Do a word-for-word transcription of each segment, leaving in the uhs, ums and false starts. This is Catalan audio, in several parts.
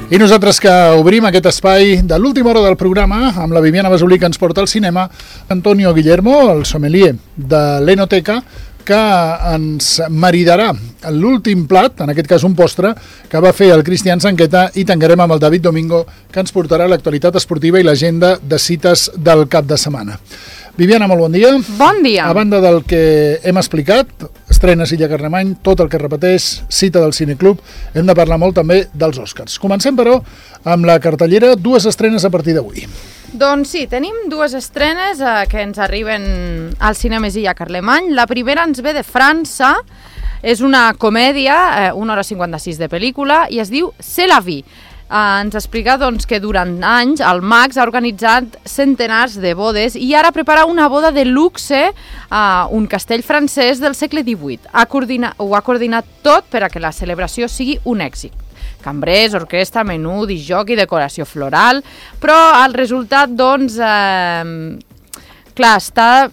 I nosaltres que obrim aquest espai de l'última hora del programa amb la Viviana Basolí, que ens porta al cinema, Antonio Guillermo, el sommelier de l'Enoteca, que ens maridarà l'últim plat, en aquest cas un postre, que va fer el Cristian Sanqueta, i tancarem amb el David Domingo, que ens portarà l'actualitat esportiva i l'agenda de cites del cap de setmana. Viviana, molt bon dia. Bon dia. A banda del que hem explicat, estrenes Illa Carlemany, tot el que repeteix, cita del Cineclub, hem de parlar molt també dels Oscars. Comencem, però, amb la cartellera, dues estrenes a partir d'avui. Doncs sí, tenim dues estrenes eh, que ens arriben al Cinemes Illa Carlemany. La primera ens ve de França, és una comèdia, eh, una hora cinquanta-sis de pel·lícula, i es diu C'est la vie. Uh, ens explica doncs, que durant anys el Max ha organitzat centenars de bodes i ara prepara una boda de luxe a uh, un castell francès del segle divuit. Ha coordinat, ho ha coordinat tot per a que la celebració sigui un èxit. Cambrers, orquestra, menú, disjoc i decoració floral, però el resultat, doncs, eh, clar, està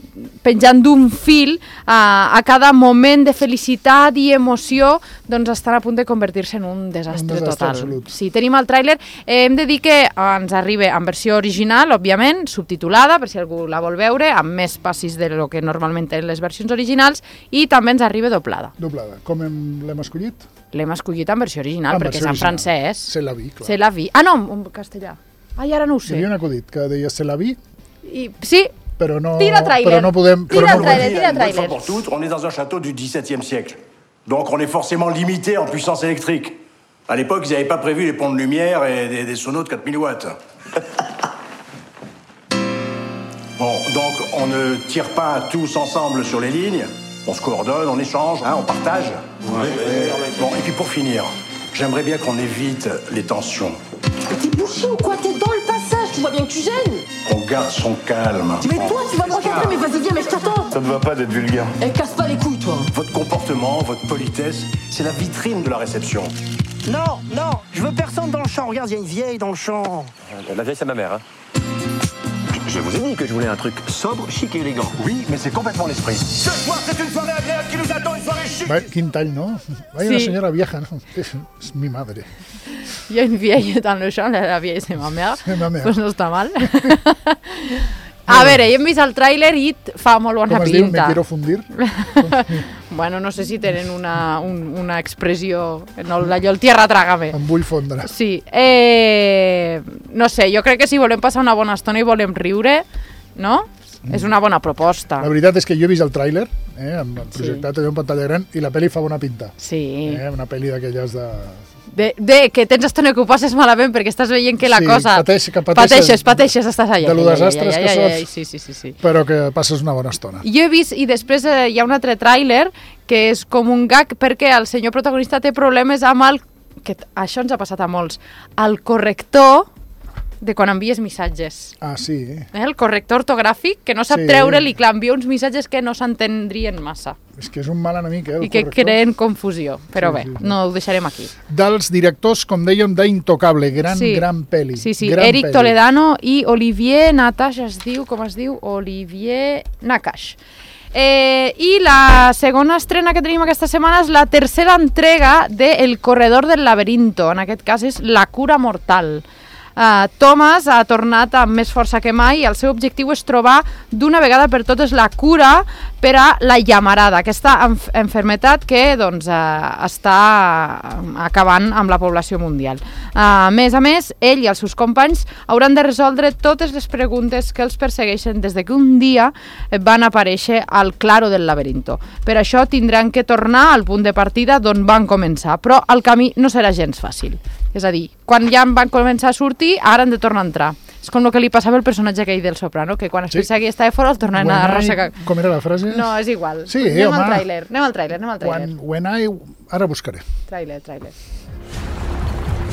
penjant d'un fil eh, a cada moment de felicitat i emoció, doncs estan a punt de convertir-se en un desastre, un desastre total. Absolut. Sí, tenim el tràiler. Eh, hem de dir que ens arriba en versió original, òbviament, subtitulada, per si algú la vol veure, amb més passis de lo que normalment tenen les versions originals, i també ens arriba doblada. Doblada. Com l'hem escollit? L'hem escollit en versió original, en perquè versió és en francès. C'est la vie, clar. C'est la vie. Ah, no, en castellà. Ai, ara no ho sé. Hi havia un acudit que deia C'est la vie. I, sí, Però no, tira trailer. Però no podem... Tira però no trailer, tira trailer. Une fois pour toutes, on est dans un château du dix-septième siècle. Donc on est forcément limité en puissance électrique. À l'époque, ils n'avaient pas prévu les ponts de lumière et des, des sonos de quatre mille watts. Bon, donc on ne tire pas tous ensemble sur les lignes. On se coordonne, on échange, hein, on partage. Ouais, et, bon, et puis pour finir, j'aimerais bien qu'on évite les tensions. Mais t'es bouché ou quoi? T'es dans le passage, tu vois bien que tu gênes. On garde son calme. Mais toi, tu vas m'encadrer, mais vas-y, viens, mais je t'attends. Ça ne va pas d'être vulgaire. Eh, casse pas les couilles, toi. Votre comportement, votre politesse, c'est la vitrine de la réception. Non, non, je veux personne dans le champ. Regarde, il y a une vieille dans le champ. La vieille, c'est ma mère, hein. Je vous ai dit que je voulais un truc sobre, chic et élégant. Oui, mais c'est complètement l'esprit. Ce soir, c'est une soirée agréable qui nous attend, une soirée chic. Va, quin tall, no? Vaya, Sí. una senyora vieja, no? És mi madre. Hi ha une vieille dans le champ, la vieille c'est ma mère. C'est ma mère. Pues no està mal. A veure, hem vist el tràiler i fa molt bona Com es diu? Me pinta. quiero fundir? Bueno, no sé si tenen una, un, una expressió, no, allò el tierra trágame. Em vull fondre. Sí, eh, no sé, jo crec que si volem passar una bona estona i volem riure, no? Mm. És una bona proposta. La veritat és que jo he vist el tràiler, eh, amb el projectat allò en pantalla gran, i la pel·li fa bona pinta. Sí. Eh, una pel·li d'aquelles de... De, de que tens estona que ho passes malament perquè estàs veient que la Sí, cosa... pateix, que pateixes, pateixes, pateixes, estàs allà. de lo desastres que sots. Sí, sí, sí, sí. Però que passes una bona estona. Jo he vist, i després eh, hi ha un altre tràiler que és com un gag perquè el senyor protagonista té problemes amb el... que això ens ha passat a molts. El corrector de quan envies missatges. Ah, sí. Eh? El corrector ortogràfic que no sap Sí. treure-li, clar, envia uns missatges que no s'entendrien massa És que és un mal enemic, eh, el i que corrector. creen confusió. Però Sí, bé, sí, sí. no ho deixarem aquí. Dels directors, com dèiem, d'Intocable, gran, Sí. gran pel·li. Sí, sí, gran Eric pel·li. Toledano i Olivier Nakash, es diu, com es diu? Olivier Nakash. Eh, I la segona estrena que tenim aquesta setmana és la tercera entrega de El corredor del laberinto. En aquest cas és La cura mortal. Uh, Thomas ha tornat amb més força que mai i el seu objectiu és trobar d'una vegada per totes la cura per a la llamarada, aquesta enf enfermetat que doncs, uh, està acabant amb la població mundial. Uh, a més a més, ell i els seus companys hauran de resoldre totes les preguntes que els persegueixen des de que un dia van aparèixer al claro del laberinto. Per això tindran que tornar al punt de partida d'on van començar, però el camí no serà gens fàcil. És a dir, quan ja van començar a sortir, ara han de tornar a entrar. És com el que li passava al personatge aquell del Soprano, que quan es Sí. pensa que estava fora el tornaven a arrossegar. Com era la frase? No, és igual. Sí, anem home. al tràiler, anem al tràiler, anem al tràiler. When, when I... Ara buscaré. Tràiler, tràiler.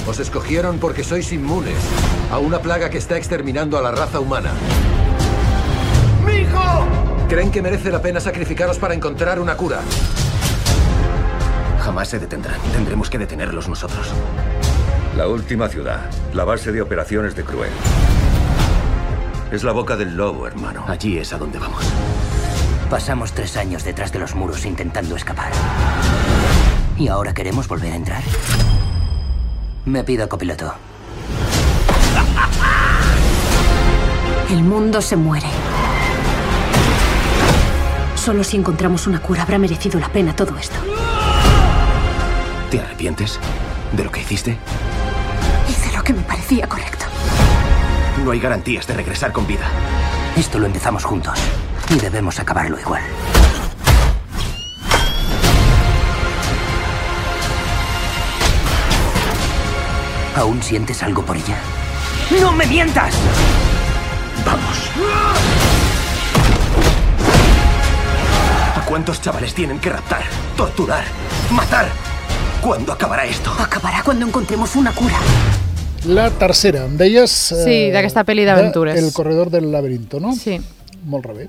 Os escogieron porque sois inmunes a una plaga que está exterminando a la raza humana. ¡Mijo! ¿Creen que merece la pena sacrificaros para encontrar una cura? Jamás se detendrán. Tendremos que detenerlos nosotros. La última ciudad, la base de operaciones de Cruel. Es la boca del lobo, hermano. Allí es a donde vamos. Pasamos tres años detrás de los muros intentando escapar. ¿Y ahora queremos volver a entrar? Me pido copiloto. El mundo se muere. Solo si encontramos una cura habrá merecido la pena todo esto. ¿Te arrepientes de lo que hiciste? Hice lo que me parecía correcto. No hay garantías de regresar con vida. Esto lo empezamos juntos y debemos acabarlo igual. ¿Aún sientes algo por ella? ¡No me mientas! Vamos. ¿A cuántos chavales tienen que raptar, torturar, matar? ¿Cuándo acabará esto? Acabará cuando encontremos una cura. La tercera, em deies... Sí, d'aquesta pel·li d'aventures. El corredor del laberinto, no? Sí. Molt rebé.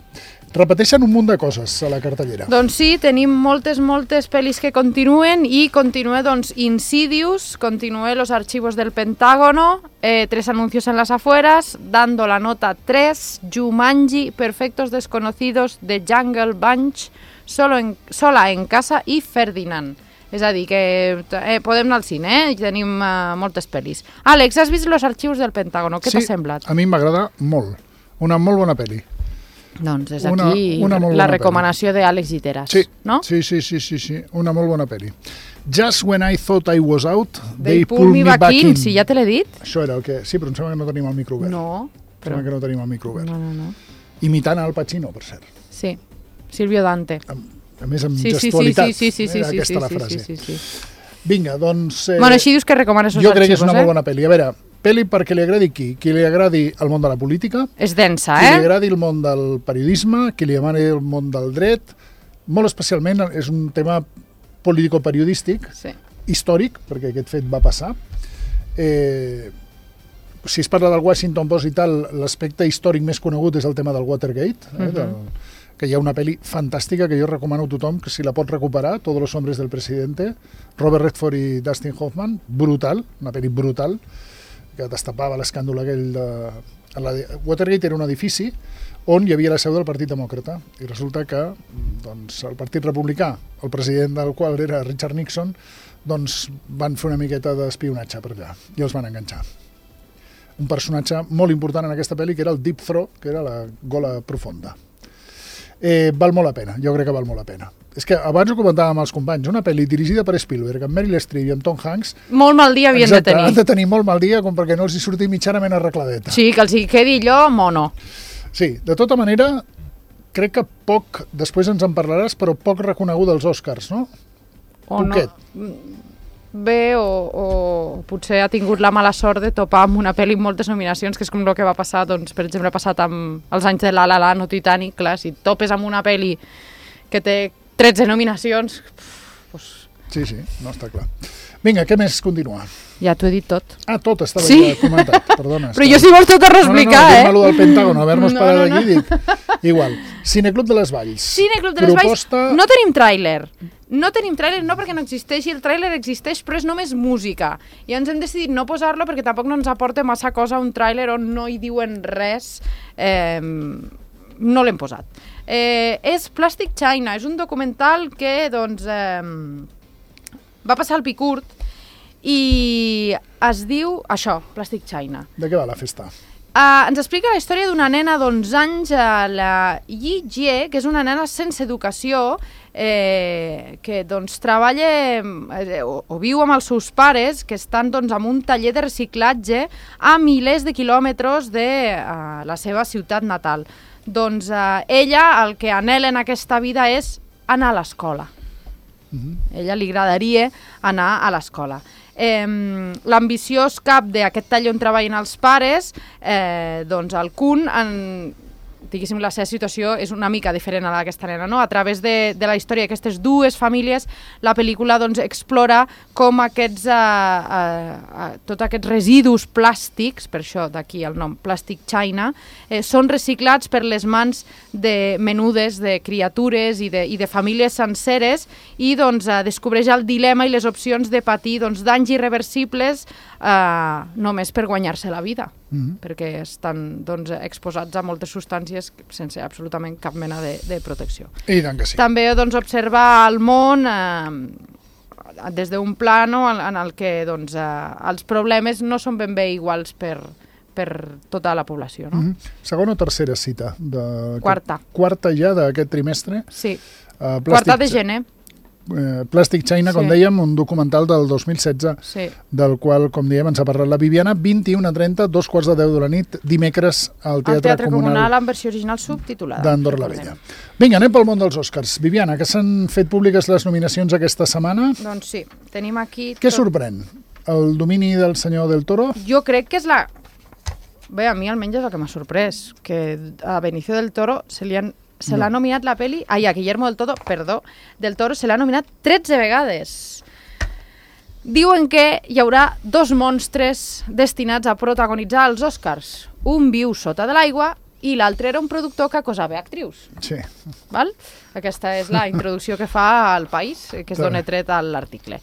Repeteixen un munt de coses a la cartellera. Doncs sí, tenim moltes, moltes pel·lis que continuen i continua, doncs, Insidious, continua Los archivos del Pentágono, eh, Tres anuncios en las afueras, Dando la nota tres, Jumanji, Perfectos desconocidos, The Jungle Bunch, Solo en, Sola en casa i Ferdinand. És a dir, que eh, podem anar al cine, eh? I tenim uh, moltes pel·lis. Àlex, has vist Los archivos del Pentágono? Què sí, t'ha semblat? A mi m'agrada molt. Una molt bona pel·li. Doncs és una, aquí una la recomanació d'Àlex Giteras, sí, no? Sí, sí, sí, sí, sí, una molt bona pel·li. Just When I Thought I Was Out, They, they Pull Me Back, back in. in. Sí, ja te l'he dit. Això era el que... Sí, però em sembla que no tenim el micro obert. No. Però... Em sembla que no tenim el micro obert. No, no, no. Imitant Al Pacino, per cert. Sí, Silvio Dante. A, a més, amb sí, gestualitat. Sí, sí, sí, sí, era sí, aquesta sí, la sí, frase. sí, sí, sí. Vinga, doncs... Eh, bueno, així dius que recomanes els jo arxivos, crec que és una eh? molt bona pel·li. A veure, pel·li perquè li agradi qui? Qui li agradi el món de la política. És densa, qui eh? Qui li agradi el món del periodisme, qui li agradi el món del dret. Molt especialment és un tema político-periodístic, sí. històric, perquè aquest fet va passar. Eh, si es parla del Washington Post i tal, l'aspecte històric més conegut és el tema del Watergate, eh, uh -huh. del, que hi ha una pel·li fantàstica que jo recomano a tothom que si la pot recuperar, Todos los hombres del presidente, Robert Redford i Dustin Hoffman, brutal, una pel·li brutal, que destapava l'escàndol aquell de... La... Watergate era un edifici on hi havia la seu del Partit Demòcrata i resulta que doncs, el Partit Republicà, el president del qual era Richard Nixon, doncs van fer una miqueta d'espionatge per allà i els van enganxar. Un personatge molt important en aquesta pel·li que era el Deep Throat, que era la gola profunda. Eh, val molt la pena, jo crec que val molt la pena. És que abans ho comentàvem amb els companys, una pel·li dirigida per Spielberg, amb Meryl Streep i amb Tom Hanks... Molt mal dia havien exacte, de tenir. han de tenir molt mal dia com perquè no els hi surti mitjanament arregladeta. Sí, que els hi quedi allò mono. Sí, de tota manera, crec que poc, després ens en parlaràs, però poc reconeguda als Oscars, no? O Poquet. No. Bé, o, o potser ha tingut la mala sort de topar amb una pel·li amb moltes nominacions, que és com el que va passar, doncs, per exemple, ha passat amb els anys de La La Land o Titanic, clar, si topes amb una pel·li que té tretze nominacions... Pues... Sí, sí, no està clar. Vinga, què més continua? Ja t'ho he dit tot. Ah, tot estava sí? ja comentat, perdona. Però jo si vols tot a reexplicar, no, no, no, eh? No, no, no, del Pentágono, haver-nos no, parat no, aquí, no. dic. Igual. Cineclub de les Valls. Cineclub de les Proposta... Valls. No tenim tràiler. No tenim tràiler, no perquè no existeixi, el tràiler existeix, però és només música. I ens hem decidit no posar-lo perquè tampoc no ens aporta massa cosa un tràiler on no hi diuen res. Eh, no l'hem posat. Eh, és Plastic China, és un documental que, doncs, eh, va passar al Picurt i es diu això, Plastic China. De què va la festa? Uh, ens explica la història d'una nena d'onze anys, uh, la Yi Jie, que és una nena sense educació, eh, que doncs, treballa eh, o, o viu amb els seus pares, que estan doncs, en un taller de reciclatge a milers de quilòmetres de uh, la seva ciutat natal. Doncs uh, ella el que anhela en aquesta vida és anar a l'escola. Uh-huh. A ella li agradaria anar a l'escola. Eh, l'ambiciós cap d'aquest taller on treballen els pares, eh, doncs el Kun, en, diguéssim, la seva situació és una mica diferent a la d'aquesta nena, no? A través de, de la història d'aquestes dues famílies, la pel·lícula doncs, explora com aquests, uh, uh, uh, tots aquests residus plàstics, per això d'aquí el nom Plastic China, eh, són reciclats per les mans de menudes, de criatures i de, i de famílies senceres i doncs, uh, descobreix el dilema i les opcions de patir doncs, danys irreversibles uh, només per guanyar-se la vida. Mm-hmm. Perquè estan doncs, exposats a moltes substàncies sense absolutament cap mena de, de protecció. I tant que sí. També doncs, observar el món eh, des d'un plano en, en el que doncs, eh, els problemes no són ben bé iguals per, per tota la població. No? Mm-hmm. Segona o tercera cita? De... Quarta. Quarta ja d'aquest trimestre? Sí, uh, quarta de gener. Uh, Plastic China, Sí. com dèiem, un documental del dos mil setze, Sí. del qual, com dèiem, ens ha parlat la Viviana. vint-i-una trenta, dos quarts de deu de la nit, dimecres al Al Teatre, Teatre Comunal, Comunal en versió original subtitulada. d'Andorra la Vella. Vinga, anem pel món dels Oscars. Viviana, que s'han fet públiques les nominacions aquesta setmana. Doncs sí, tenim aquí... Què tot- sorprèn? El domini del senyor del Toro? Jo crec que és la... Bé, a mi almenys és el que m'ha sorprès, que a Benicio del Toro se li han se l'ha nominat la peli... Ai, a Guillermo del Toro, perdó, del Toro se l'ha nominat tretze vegades. Diuen que hi haurà dos monstres destinats a protagonitzar els Oscars. Un viu sota de l'aigua i l'altre era un productor que acosava actrius. Sí. Val? Aquesta és la introducció que fa al País, que es dona tret a l'article.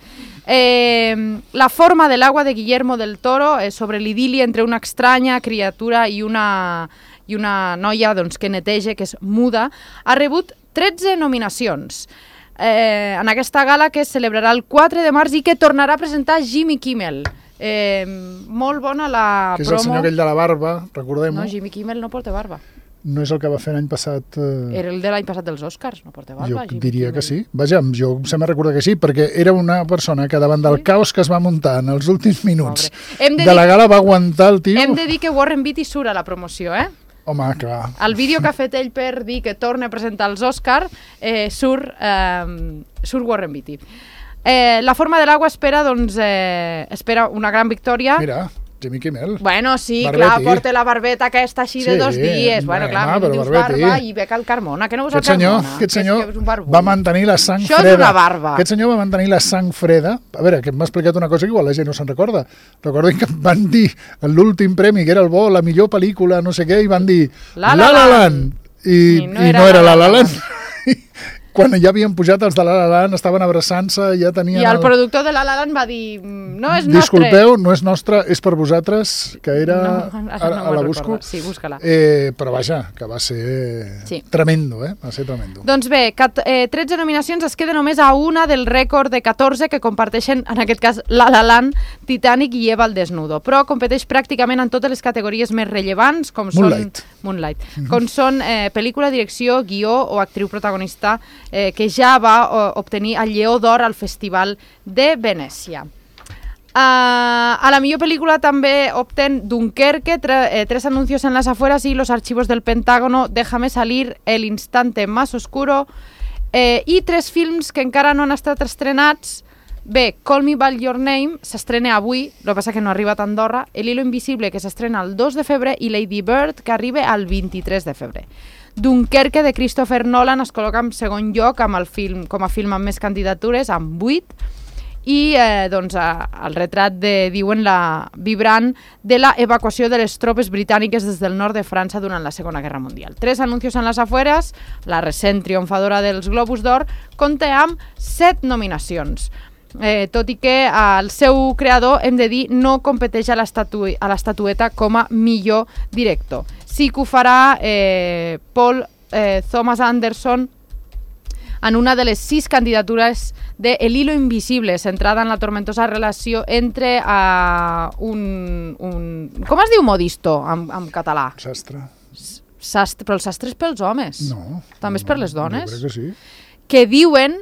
Eh, la forma de l'agua de Guillermo del Toro és sobre l'idili entre una estranya criatura i una, i una noia doncs, que neteja, que és muda, ha rebut tretze nominacions. Eh, en aquesta gala que es celebrarà el quatre de març i que tornarà a presentar Jimmy Kimmel. Eh, molt bona la Que és promo. el senyor aquell de la barba, recordem-ho. No, Jimmy Kimmel no porta barba. No és el que va fer l'any passat... Eh... Era el de l'any passat dels Oscars, no porta barba. Jo Jimmy diria Kimmel. que sí. Vaja, jo em sembla recordar que sí, perquè era una persona que davant del caos que es va muntar en els últims minuts Hem de de la dir- gala va aguantar el tio. Hem de dir que Warren Beatty surt a la promoció, eh? Home, clar. El vídeo que ha fet ell per dir que torna a presentar els Oscar eh, surt, eh, surt Warren Beatty. Eh, la forma de l'aigua espera, doncs, eh, espera una gran victòria. Mira, Jimmy Kimmel. Bueno, sí, Barbetti. clar, porta la barbeta aquesta així de Sí, dos dies. Bueno, clar, bueno, a mi però dius Barbetti. barba i Beca el Carmona, que no veus el Aquest senyor, Carmona? aquest Que és senyor que és un barbut. va mantenir la sang Això és freda. una barba. Aquest senyor va mantenir la sang freda. A veure, que m'ha explicat una cosa que igual la gent no se'n recorda. Recordin que van dir en l'últim premi, que era el bo, la millor pel·lícula, no sé què, i van dir La La La La Land. Land. I, I no i era no era La La La La Land. Land. Quan ja havien pujat els de La La Land, estaven abraçant-se, ja tenien... I el productor de La La Land va dir, no és nostre. Disculpeu, no és nostre, és per vosaltres, que era... No, ara ara, no a la me'n busco. recordo. Sí, busca-la. Eh, però vaja, que va ser Sí. tremendo, eh? Va ser tremendo. Doncs bé, cat, eh, tretze nominacions, es queda només a una del rècord de catorze que comparteixen, en aquest cas, La La Land, Titanic i Eva al desnudo, però competeix pràcticament en totes les categories més rellevants, com Moonlight. són, Moonlight, com són eh, pel·lícula, direcció, guió o actriu protagonista, eh, que ja va o, obtenir el Lleó d'Or al Festival de Venècia. Uh, a la millor pel·lícula també opten Dunkerque, tre, eh, Tres anuncios en las afueras y Los archivos del Pentágono, Déjame salir, El instante más oscuro, eh, i tres films que encara no han estat estrenats. Bé, Call Me By Your Name s'estrena avui, el que passa que no arriba a Andorra, El hilo invisible, que s'estrena el dos de febrer, i Lady Bird, que arriba el vint-i-tres de febrer. Dunkerque, de Christopher Nolan, es col·loca en segon lloc amb el film, com a film amb més candidatures, amb vuit, i eh, doncs, a, el retrat de, diuen, la vibrant de la evacuació de les tropes britàniques des del nord de França durant la Segona Guerra Mundial. Tres anuncios en les afueres, la recent triomfadora dels Globus d'Or, compta amb set nominacions. Eh, tot i que el seu creador, hem de dir, no competeix a l'estatu a l'estatueta com a millor director. Sí que ho farà eh, Paul eh, Thomas Anderson en una de les sis candidatures de El hilo invisible, centrada en la tormentosa relació entre uh, un, un... Com es diu modisto en, en català? Sastre. Sastre, però el sastre és pels homes. No. També és per les dones. Jo crec que sí. Que diuen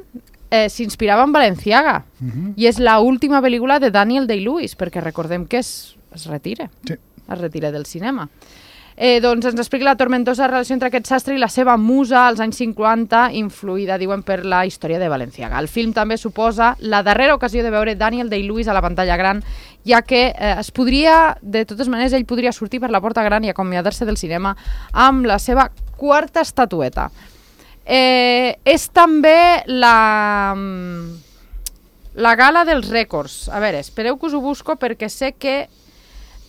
eh, s'inspirava en Balenciaga. Uh -huh. I és l'última pel·lícula de Daniel Day-Lewis, perquè recordem que es, es retira. Sí. Es retira del cinema. Eh, doncs ens explica la tormentosa relació entre aquest sastre i la seva musa als anys cinquanta, influïda, diuen, per la història de Balenciaga. El film també suposa la darrera ocasió de veure Daniel Day-Lewis a la pantalla gran, ja que eh, es podria, de totes maneres, ell podria sortir per la porta gran i acomiadar-se del cinema amb la seva quarta estatueta. Eh, és també la, la gala dels rècords. A veure, espereu que us ho busco perquè sé que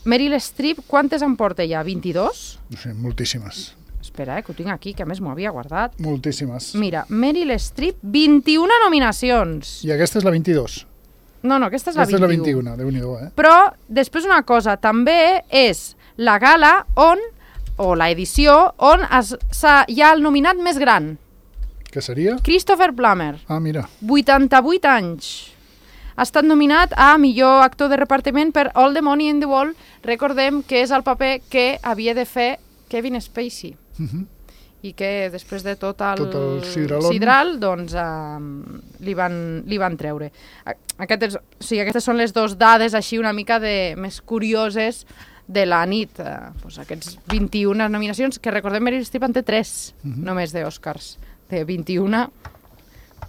Meryl Streep, quantes en porta ja? vint-i-dos? No sé, moltíssimes. Espera, eh, que ho tinc aquí, que a més m'ho havia guardat. Moltíssimes. Mira, Meryl Streep, vint-i-una nominacions. I aquesta és la vint-i-dos. No, no, aquesta és la Aquesta és la vint-i-una. vint-i-una, Déu-n'hi-do, eh? Però, després una cosa, també és la gala on, o la edició, on es, hi ha el nominat més gran. Què seria? Christopher Plummer. Ah, mira. vuitanta-vuit anys. ha estat nominat a millor actor de repartiment per All the Money in the World. Recordem que és el paper que havia de fer Kevin Spacey. Uh-huh. I que després de tot el, tot el sidral, sidral doncs, uh, li, van, li van treure. Aquestes, o sigui, aquestes són les dues dades així una mica de, més curioses de la nit. Uh, doncs aquests vint-i-una nominacions, que recordem Meryl Streep en té tres, uh-huh. només d'Oscars, de vint-i-una.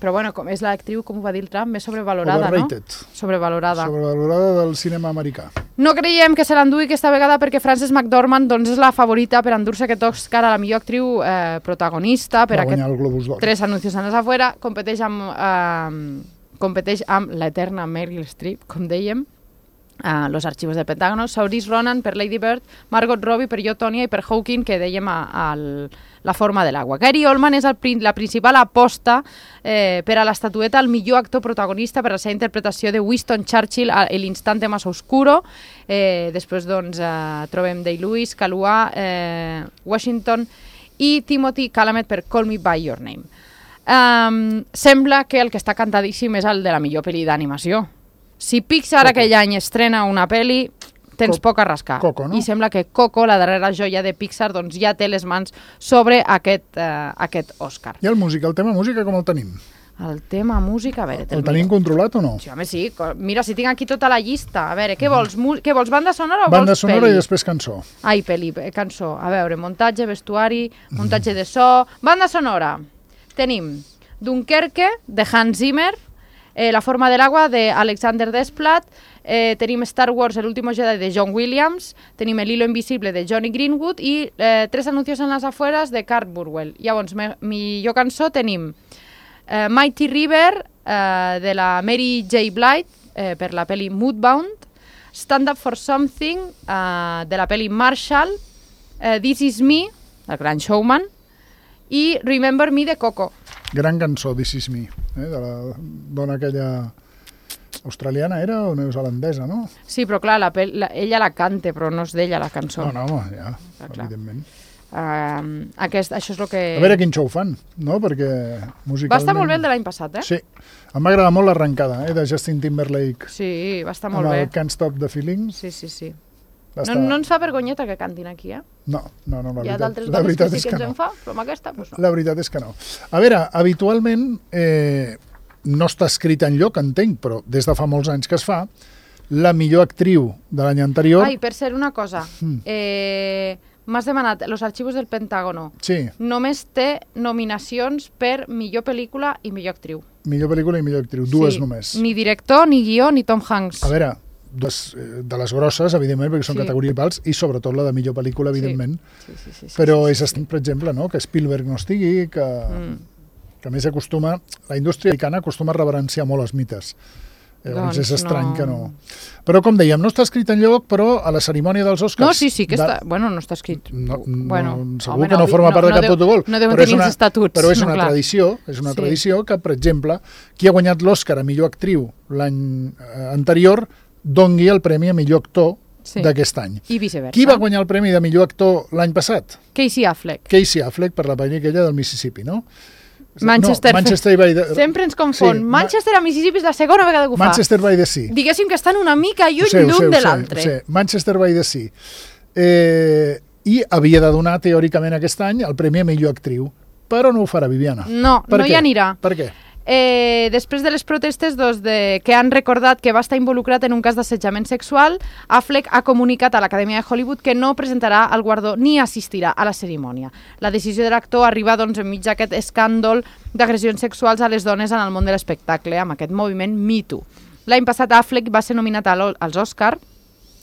Però bueno, com és l'actriu, com ho va dir el Trump, més sobrevalorada, Overrated. no? Sobrevalorada. Sobrevalorada del cinema americà. No creiem que se l'endugui aquesta vegada perquè Frances McDormand doncs, és la favorita per endur-se aquest Oscar a la millor actriu eh, protagonista. Per va guanyar el Globus d'Or. Tres anuncios en les afuera. Competeix amb, eh, competeix amb l'eterna Meryl Streep, com dèiem, Uh, Los archivos del Pentágono, Saoirse Ronan per Lady Bird, Margot Robbie per Jo, Tonya i per Hawking, que dèiem a, a La forma de l'agua. Gary Oldman és el, la principal aposta eh, per a l'estatueta al millor actor protagonista per la seva interpretació de Winston Churchill a l'instante más oscuro. Eh, després doncs, eh, trobem Day-Lewis, Kaluuya, eh, Washington i Timothy Chalamet per Call Me By Your Name. Um, sembla que el que està cantadíssim és el de la millor pel·li d'animació. Si Pixar Coco. Aquell any estrena una pel·li, tens Co poc a rascar. Coco, no? I sembla que Coco, la darrera joia de Pixar, doncs ja té les mans sobre aquest, uh, aquest Òscar. I el música, el tema música com el tenim? El tema música, a veure... El tenim controlat o no? Sí, home, sí. Mira, si tinc aquí tota la llista. A veure, què vols? Què vols, banda sonora o banda vols sonora peli? I després cançó. Ai, peli, cançó. A veure, muntatge, vestuari, muntatge de so... Banda sonora. Tenim Dunkerque, de Hans Zimmer, Eh, La forma de l'agua, d'Alexander Desplat, eh, tenim Star Wars, El último Jedi, de John Williams, tenim El hilo invisible, de Johnny Greenwood, i eh, Tres anuncios en las afueras, de Kurt Burwell. Llavors, me, millor cançó tenim eh, Mighty River, eh, de la Mary J. Blige, eh, per la pel·li Moodbound, Stand Up for Something, eh, de la pel·li Marshall, eh, This Is Me, el gran showman, i Remember Me, de Coco. Gran cançó, This Is Me, eh, de la dona aquella australiana era o neozelandesa, no? Sí, però clar, la la, ella la canta, però no és d'ella la cançó. No, no, home, ja, clar, evidentment. Uh, aquest, això és el que... A veure quin show fan, no? Perquè musicalment... Va estar molt bé el de l'any passat, eh? Sí, em va agradar molt l'arrencada, eh, de Justin Timberlake. Sí, va estar molt amb bé. Amb el Can't Stop the Feelings. Sí, sí, sí. No, estar... no ens fa vergonyeta que cantin aquí, eh? No, no, no, la Hi ha veritat, d'altres la veritat que és sí que, que ens no. en fa, però amb aquesta, doncs no. La veritat és que no. A veure, habitualment eh, no està escrit enlloc, entenc, però des de fa molts anys que es fa, la millor actriu de l'any anterior... Ai, per ser una cosa, mm. eh, m'has demanat Los archivos del Pentágono. Sí. Només té nominacions per millor pel·lícula i millor actriu. Millor pel·lícula i millor actriu, dues sí. només. Ni director, ni guió, ni Tom Hanks. A veure... Des, de les grosses, evidentment, perquè són sí. categories pals, i sobretot la de millor pel·lícula, evidentment. Sí. Sí, sí, sí, sí, però sí, sí, és, sí. per exemple, no? que Spielberg no estigui, que, mm. que a més acostuma... La indústria americana acostuma a reverenciar molt els mites. Llavors doncs és estrany no. que no... Però, com dèiem, no està escrit enlloc, però a la cerimònia dels Oscars... No, sí, sí que de... està... Bueno, no està escrit... No, no, bueno, segur home, que no, no forma no, part de no cap deu, protocol. No deuen tenir els estatuts. Però és no, una clar. tradició, és una sí. tradició que, per exemple, qui ha guanyat l'Oscar a millor actriu l'any eh, anterior dongui el premi a millor actor sí. d'aquest any. I viceversa. Qui va guanyar el premi de millor actor l'any passat? Casey Affleck. Casey Affleck, per la pel·li aquella del Mississippi, no? Manchester. No, Manchester by the... Sempre ens confon. Sí, Manchester a Mississippi és la segona vegada que ho fa. Manchester by the Sea. Diguéssim que estan una mica lluny l'un de l'altre. Sí, Manchester by the Sea. Eh, I havia de donar, teòricament, aquest any el premi a millor actriu. Però no ho farà, Viviana. No, per no què? hi anirà. Per què? Eh, després de les protestes doncs, de, que han recordat que va estar involucrat en un cas d'assetjament sexual, Affleck ha comunicat a l'Acadèmia de Hollywood que no presentarà el guardó ni assistirà a la cerimònia. La decisió de l'actor arriba doncs, enmig d'aquest escàndol d'agressions sexuals a les dones en el món de l'espectacle, amb aquest moviment Me Too. L'any passat Affleck va ser nominat als Oscar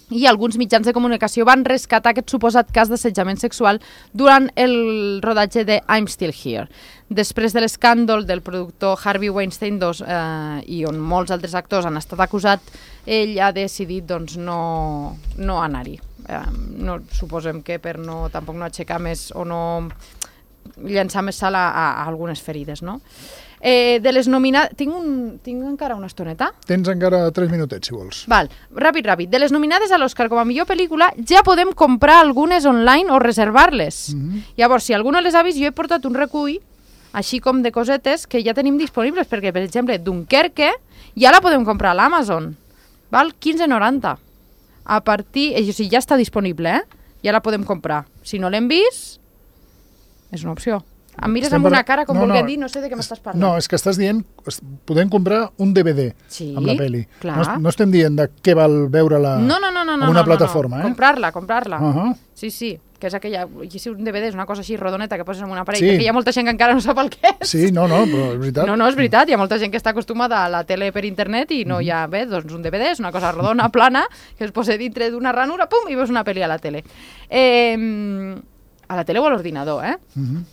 i alguns mitjans de comunicació van rescatar aquest suposat cas d'assetjament sexual durant el rodatge de I'm Still Here. Després de l'escàndol del productor Harvey Weinstein dos, eh, i on molts altres actors han estat acusats, ell ha decidit doncs, no, no anar-hi. Eh, no, suposem que per no, tampoc no aixecar més o no llançar més sal a, a, a algunes ferides, no? Eh, de les nominades... Tinc, un... Tinc encara una estoneta? Tens encara tres minutets, si vols. Val, ràpid, ràpid. De les nominades a l'Oscar com a millor pel·lícula, ja podem comprar algunes online o reservar-les. Mm-hmm. Llavors, si algú no les ha vist, jo he portat un recull així com de cosetes que ja tenim disponibles, perquè, per exemple, Dunkerque ja la podem comprar a l'Amazon, val? quinze noranta. A partir... O sigui, ja està disponible, eh? Ja la podem comprar. Si no l'hem vist, és una opció. Em mires Estem amb una parla- cara com no, volguent no. dir, no sé de què m'estàs parlant. No, és que estàs dient, es- podem comprar un D V D Sí, amb la pel·li. clar. No, es- no estem dient de què val veure-la No, no, no, no, en no, una no, plataforma, no. eh? Comprar-la, comprar-la. Uh-huh. Sí, sí, que és aquella... I si un D V D és una cosa així rodoneta que poses en un aparell, Sí. perquè hi ha molta gent que encara no sap el que és. Sí, no, no, però és veritat. No, no, és veritat, hi ha molta gent que està acostumada a la tele per internet i no hi ha, bé, doncs un D V D és una cosa rodona, plana, que es posa dintre d'una ranura, pum, i veus una pel·li a la tele. Eh, a la tele o a l'ordinador, eh? Uh-huh.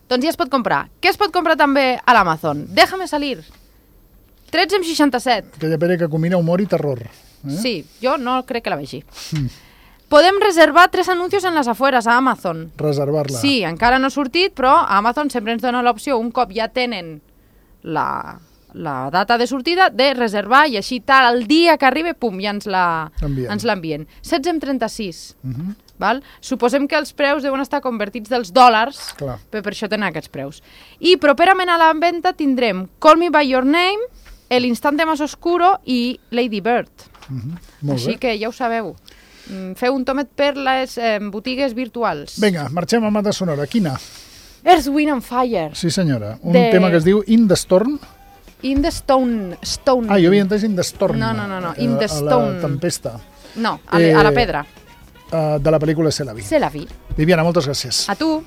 Doncs ja es pot comprar. Què es pot comprar també a l'Amazon? Déjame salir. tretze amb seixanta-set. Aquella pel·li que combina humor i terror. Eh? Sí, jo no crec que la vegi. Mm. Podem reservar tres anuncios en les afueres a Amazon. Reservar-la. Sí, encara no ha sortit, però Amazon sempre ens dona l'opció, un cop ja tenen la, la data de sortida, de reservar i així tal, el dia que arribi, pum, ja ens la- Envien. ens l'envien. setze amb trenta-sis. Uh-huh. Val? Suposem que els preus deuen estar convertits dels dòlars, Clar. però per això tenen aquests preus. I properament a la venda tindrem Call Me By Your Name, El Instante Más Oscuro i Lady Bird. Uh-huh. Molt Així bé. que ja ho sabeu. Mm, Feu un tomet per les eh, botigues virtuals. Vinga, marxem amb banda sonora. Quina? Earth, Wind and Fire. Sí, senyora. Un De- tema que es diu In the Storm. In the Stone. Stone. Ah, jo havia entès In the Storm. No, no, no, no. eh, In the A Stone. la tempesta. No, a, eh... a la pedra. Uh, de la pel·lícula C'est la vie. Se la vi. Viviana, moltes gràcies. A tu.